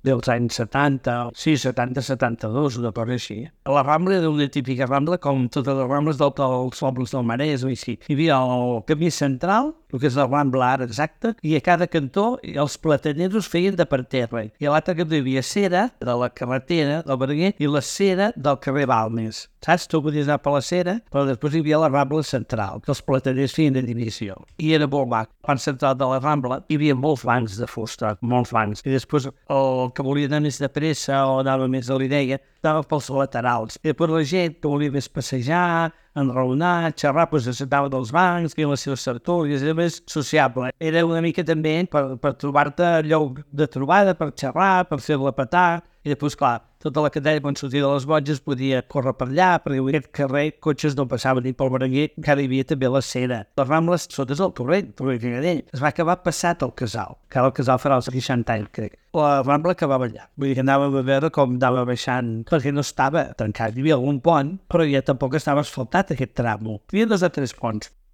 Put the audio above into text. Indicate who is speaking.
Speaker 1: dels anys 70, sí, 70-72, una cosa així. La Rambla era una típica Rambla com totes les Rambles dels pobles del Maresme i així. Hi havia el camí central, el que és la Rambla ara exacta, i a cada cantó els plataneros feien de parterre. I a l'altre cantó hi havia cera de la carretera del Berenguer i la cera del carrer Balmes. Saps? Tu podies anar per la cera, però després hi havia la Rambla central, que els plataners feien de divisió. I era molt mac. Al central de la Rambla hi havia molts bancs de fusta, molts bancs. I després el que volia anar més de pressa o anava més a l'idea, estava pels laterals. I després la gent que volia més passejar, enraonar, xerrar, doncs s'assentava dels bancs, feien les seves tertúlies, era més sociable. Era una mica també per trobar-te lloc de trobada, per xerrar, per fer-la petar. I després, clar, tota la cadena, quan sortia de les Botges, podia córrer per allà, perquè en aquest carrer cotxes no passaven ni pel Berenguer, encara hi havia també la cera. Les Rambles sota el Torrent Cagadell. Es va acabar passat el casal, que ara el casal farà els 60 anys, crec. La Rambla acabava allà. Vull dir que anàvem a veure com anava baixant, perquè no estava tancat. Hi havia algun pont, però ja tampoc estava asfaltat aquest tram. Hi havia 2 o 3 ponts.